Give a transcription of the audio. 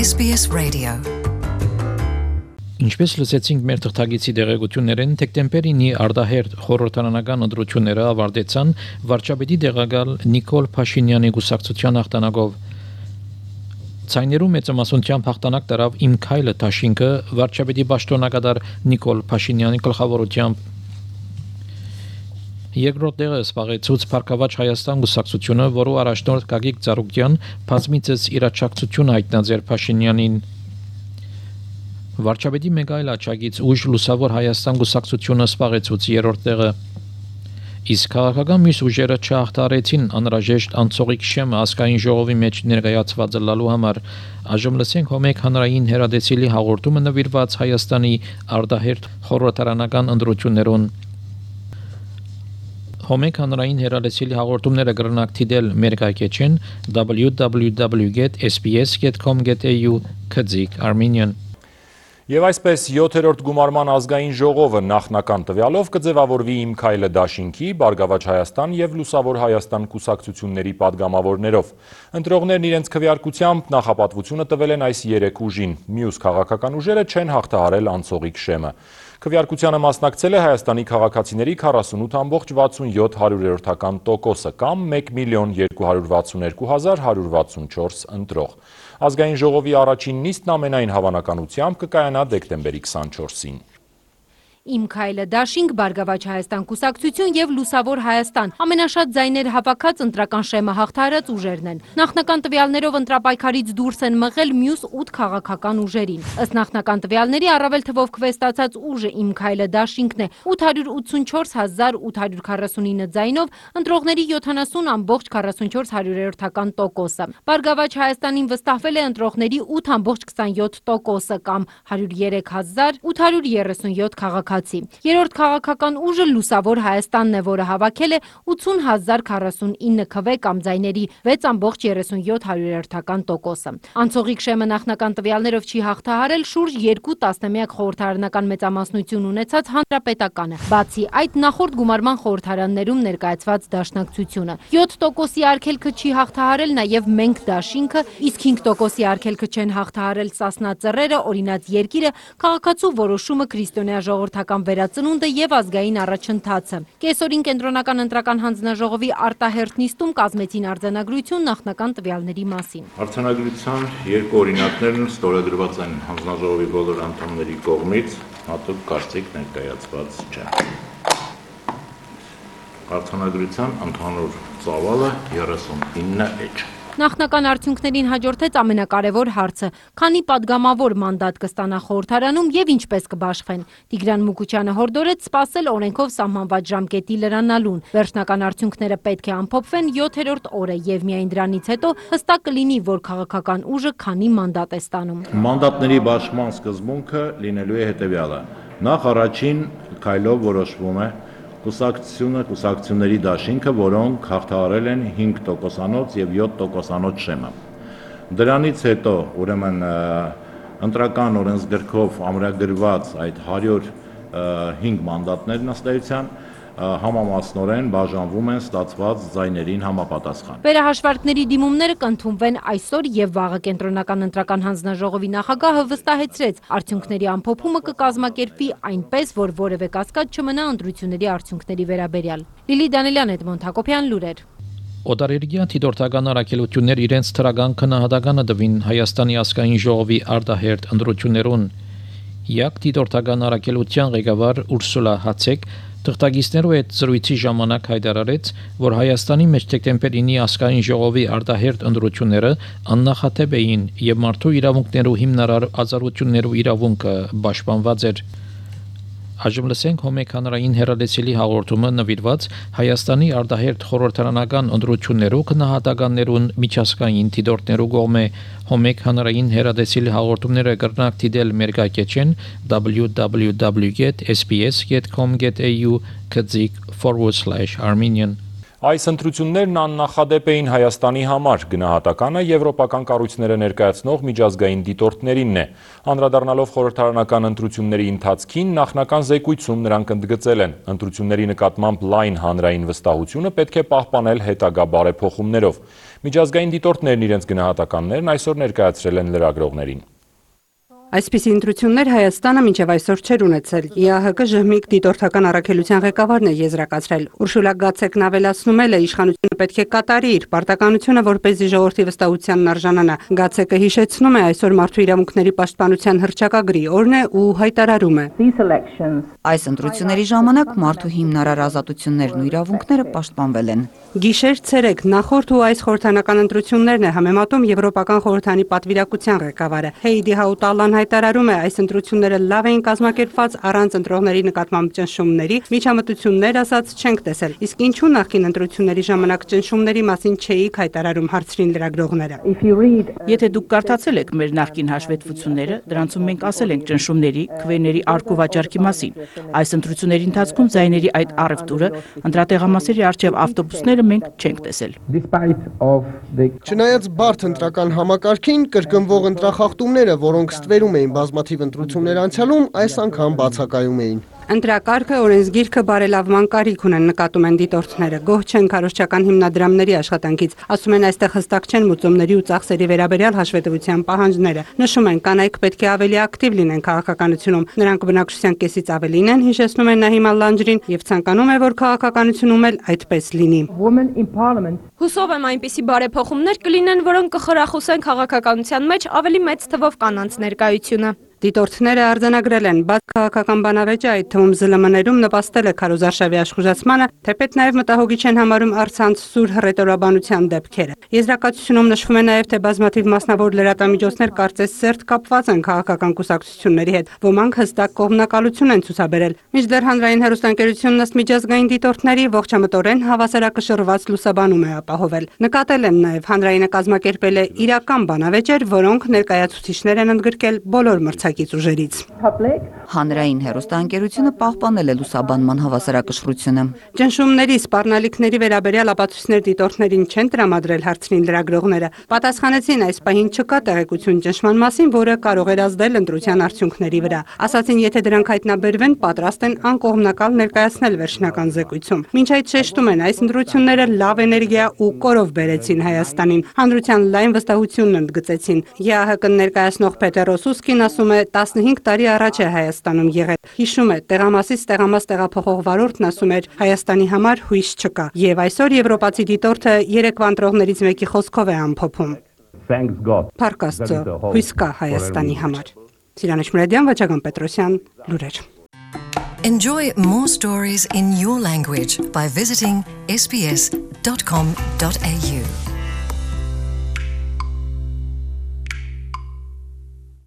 SBS Radio. Ինչպես լսեցինք մեր թղթագիտի դերակցություններեն, դեկտեմբերինի արտահերթ խորհրդարանական ընտրությունները ավարտեցան վարչապետի տեղակալ Նիկոլ Փաշինյանի գուսակցության հաղթանակով։ Ցայներու մեծամասնությամբ հաղթանակ տարավ Իմ քայլը դաշինքը վարչապետի պաշտոնակատար Նիկոլ Փաշինյանի գլխավորությամբ։ Երկրորդ տեղը զբաղեցուց Փառքավաճ Հայաստան գուսակցությունը, որու առաջնորդ Գագիկ Ծառուկյան բազմիցս իրաչակցություն հայտնաձեր Փաշինյանին։ Վարչապետի մեկ այլ աջակից ուժ Լուսավոր Հայաստան գուսակցությունը զբաղեցուց երրորդ տեղը։ Իսկ քաղաքական մյուս ուժերը չհաղթարեցին անհրաժեշտ անցողիկ շեմը ազգային ժողովի մեջ ներկայացված լալու համար։ Այժմ լսենք հոմեկ հանրային հերադեսիլի հաղորդումը նվիրված Հայաստանի արտահերթ խորհրդարանական ընտրություններուն։ Հոմեկ հանրային հերադեսիլի հաղորդումները կրնակ դիտել մեր կայքեջին www.sbs.com.au/Armenian։ Եվ այսպես 7-րդ գումարման ազգային ժողովը նախնական տվյալով կձևավորվի Իմ քայլը դաշինքի, Բարգավաճ Հայաստան և Լուսավոր Հայաստան կուսակցությունների պատգամավորներով։ Ընտրողներն իրենց քվեարկությամբ նախապատվությունը տվել են այս 3 ուժին։ Մյուս քաղաքական ուժերը չեն հաղթահարել անցողիկ շեմը։ Քվեարկությանը մասնակցել է Հայաստանի քաղաքացիների 48.67%, կամ 1.262.164 ընտրող։ Ազգային ժողովի առաջին նիստն ամենայն հավանականությամբ կկայանա դեկտեմբերի 24-ին։ Իմ քայլը դաշինք, Բարգավաճ Հայաստան կուսակցություն և Լուսավոր Հայաստան ամենաշատ ձայներ հավաքած ընտրական շեմը հաղթահարած ուժերն են։ Նախնական տվյալներով ընտրապայքարից դուրս են մղել մյուս 8 քաղաքական ուժերին։ Ըստ նախնական տվյալների առավել թվով քվեստացած ուժը Իմ քայլը դաշինքն է 884.849 ձայնով, ընտրողների 70.44%։ Բարգավաճ Հայաստանին վստահվել է ընտրողների 8.27% կամ 103.837 քաղաքացի։ Երրորդ քաղաքական ուժը Լուսավոր Հայաստանն է, որը հավաքել է 80.049 քվե կամ ձայների 6.37%։ Անցողիկ շեմը նախնական տվյալներով չի հաղթահարել շուրջ 2 տասնամյակ խորհրդարանական մեծամասնություն ունեցած Հանրապետականը, բացի այդ նախորդ գումարման խորհրդարաններում ներկայացված դաշնակցությունը։ 7%-ի արգելքը չի հաղթահարել նաև Մենք դաշինքը, իսկ 5%-ի արգելքը չեն հաղթահարել Սասնա Ծռերը, Օրինաց երկիրը, Քաղաքացու որոշումը, Քրիստոնյա ժողովրդական վերածնունդը և ազգային առաջընթացը։ Կեսօրին կենտրոնական ընտրական հանձնաժողովի արտահերթ նիստում կազմեցին արձանագրություն նախնական տվյալների մասին։ Արձանագրության երկու օրինակներն ստորագրված են հանձնաժողովի բոլոր անդամների կողմից, հատուկ կարծիք ներկայացված չէ։ Արձանագրության ընդհանուր ծավալը 39 էջ։ Նախնական արդյունքներին հաջորդեց ամենակարևոր հարցը՝ քանի պատգամավոր մանդատ կստանա խորհրդարանում և ինչպես կբաշխվեն։ Տիգրան Մուկուչյանը հորդորեց սպասել օրենքով սահմանված ժամկետի լրանալուն։ Վերջնական արդյունքները պետք է ամփոփվեն 7-րդ օրը և միայն դրանից հետո հստակ կլինի, որ քաղաքական ուժը քանի մանդատ է ստանում։ Մանդատների բաշխման սկզբունքը լինելու է հետևյալը։ Նախ առաջին քայլով որոշվում է կուսակցությունների դաշինքը, որոնք հաղթահարել են 5%-անոց և 7%-անոց շեմը։ Դրանից հետո, ուրեմն, ընտրական օրենսգրքով ամրագրված այդ 105 մանդատներն ըստ էության համամասնորեն բաժանվում են ստացված ձայներին համապատասխան։ Վերահաշվարկների դիմումները կընդունվեն այսօր և վաղը։ Կենտրոնական ընտրական հանձնաժողովի նախագահը վստահեցրեց, արդյունքների ամփոփումը կկազմակերպվի այնպես, որ որևէ կասկած չմնա ընտրությունների արդյունքների վերաբերյալ։ Լիլի Դանելյան, Էդմոնդ Հակոբյան, լուրեր։ Օտարերկրյա դիտորդական առաքելություններ իրենց թրագան քննադատականը տվին Հայաստանի ազգային ժողովի արտահերթ ընտրություններուն։ Յակ դիտորդական առաքելության ղեկավար Ուրսուլա Հացեկ թղթակիցներու հետ զրույցի ժամանակ հայտարարեց, որ Հայաստանի մեջ դեկտեմբերինի ազգային ժողովի արտահերթ ընտրությունները աննախադեպ էին եւ մարդու իրավունքներու հիմնարար ազատություններու իրավունքը պաշտպանված էր։ Այժմ լսենք հոմեկ հանրային հերադեսիլի հաղորդումը նվիրված Հայաստանի արտահերթ խորհրդարանական ընտրություններու քննադատականներուն միջազգային դիտորդներու կողմէ։ Հոմեկ հանրային հերադեսիլի հաղորդումները կրնակ դիտել մեր կայքեջին www.sbs.com.au/Armenian։ Այս ընտրություններն աննախադեպ էին Հայաստանի համար, գնահատականը եվրոպական կառույցները ներկայացնող միջազգային դիտորդներինն է։ Անդրադառնալով խորհրդարանական ընտրությունների ընթացքին, նախնական զեկույցում նրանք ընդգծել են. ընտրությունների նկատմամբ լայն հանրային վստահությունը պետք է պահպանել հետագա բարեփոխումներով։ Միջազգային դիտորդներն իրենց գնահատականներն այսօր ներկայացրել են լրագրողներին։ Այսպիսի ընտրություններ Հայաստանը մինչև այսօր չէր ունեցել։ ԵԱՀԿ ԺՀՄԻԿ դիտորդական առաքելության ղեկավարն է եզրակացրել։ Ուրշուլա Գացեկն ավելացնում է, իշխանությունը պետք է կատարի իր պարտականությունը, որպեսզի ժողովրդի վստահությանն արժանանա։ Գացեկը հիշեցնում է այսօր մարդու իրավունքների պաշտպանության հռչակագրի օրն է ու հայտարարում է. Այս ընտրությունների ժամանակ մարդու հիմնարար ազատություններն ու իրավունքները պաշտպանվել են։ Գիշեր ցերեկ նախորդ ու այս խորհրդանական ընտրություններն է համեմատում Եվրոպական խորհրդանի պատվիրակության ղեկավարը։ Հեյդի Հաուտալան հայտարարում է, այս ընտրությունները լավ էին կազմակերպված առանց ընտրողների նկատմամբ ճնշումների, միջամտություններ ասած չենք տեսել։ Իսկ ինչու նախկին ընտրությունների ժամանակ ճնշումների մասին չէիք հայտարարում, հարցրին լրագրողները։ Եթե դուք կարդացել եք մեր նախկին հաշվետվությունները, դրանցում մենք ասել ենք ճնշումների, քվեների արկու վաճառքի մասին։ Այս ընտրությունների ընթացքում ձայների այդ առևտուրը, ընտրատեղամասերի առջև ավտոբուսները մենք չենք տեսել։ Չնայած բարդ ընտրական համակարգին, կրկնվող ընտրախախտումները, որոնք ստվերում էին բազմաթիվ ընտրություններ անցյալում, այս անգամ բացակայում էին։ Ընտրակարգը, օրենսգիրքը բարելավման կարիք ունեն, նկատում են դիտորդները։ Գոհ չեն քարոզչական հիմնադրամների աշխատանքից։ Ասում են, այստեղ հստակ չեն մուծումների ու ծախսերի վերաբերյալ հաշվետվության պահանջները։ Նշում են, կանայք պետք է ավելի ակտիվ լինեն քաղաքականությունում։ Նրանք բնակչության կեսից ավելին են, հիշեցնում են Նահիմա Լանջրին, եւ ցանկանում է, որ քաղաքականությունում էլ այդպես լինի։ Հուսով եմ այնպիսի բարեփոխումներ կլինեն, որոնք կխրախուսեն քաղաքականության մեջ ավելի մեծ թվով կանանց ներկայությունը։ Դիտորդները արձանագրել են, բաց քաղաքական բանավեճը, այդ թվում ԶԼՄ-ներում նպաստել է քարոզարշավի աշխուժացմանը, թեպետ նաև մտահոգիչ են համարում առցանց սուր հռետորաբանության դեպքերը։ Եզրակացությունում նշվում է նաև, թե բազմաթիվ մասնավոր լրատվամիջոցներ կարծես սերտ կապված են քաղաքական կուսակցությունների հետ, ոմանք հստակ կողմնակալություն են ցուցաբերել։ Մինչդեռ հանրային հեռուստաընկերությունն ըստ միջազգային դիտորդների ողջամտորեն հավասարակշռված լուսաբանում է ապահովել։ Նկատել են նաև, հանրայինը կազմակերպել է իրական բանավեճեր, որոնք ներկայացուցիչներ են ընդգրկել բոլոր մրցակից ուժերից։ Հանրային հեռուստաընկերությունը պահպանել է լուսաբանման հավասարակշռությունը։ Ճնշումների, սպառնալիքների վերաբերյալ ապացույցներ դիտորդներին չեն տրամադրել, հարցրին լրագրողները։ Պատասխանեցին, այս պահին չկա տեղեկություն ճնշման մասին, որը կարող էր ազդել ընտրության արդյունքների վրա։ Ասացին, եթե դրանք հայտնաբերվեն, պատրաստ են անկողմնակալ ներկայացնել վերջնական զեկույցում։ Մինչ այդ շեշտում են, այս ընտրությունները լավ էներգիա ու կորով բերեցին Հայաստանին։ Հանրության լայն վստահությունն ընդգծեցին։ ԵԱՀԿ-ն ներկայացնող Պետեր Ռոսուսկին ասում է, 15 տարի առաջ է Հայաստանում եղել։ Հիշում է, տեղամասից տեղամաս տեղափոխող վարորդն ասում էր, Հայաստանի համար հույս չկա։ Եվ այսօր եվրոպացի դիտորդը երեկվա ընտրողներից մեկի խոսքով է ամփոփում։ Փառք Աստծո, հույս կա Հայաստանի համար։ Սիրանեշ Մուրադյան, Վաչագան Պետրոսյան, լուրեր։ Enjoy more stories in your language by visiting sbs.com.au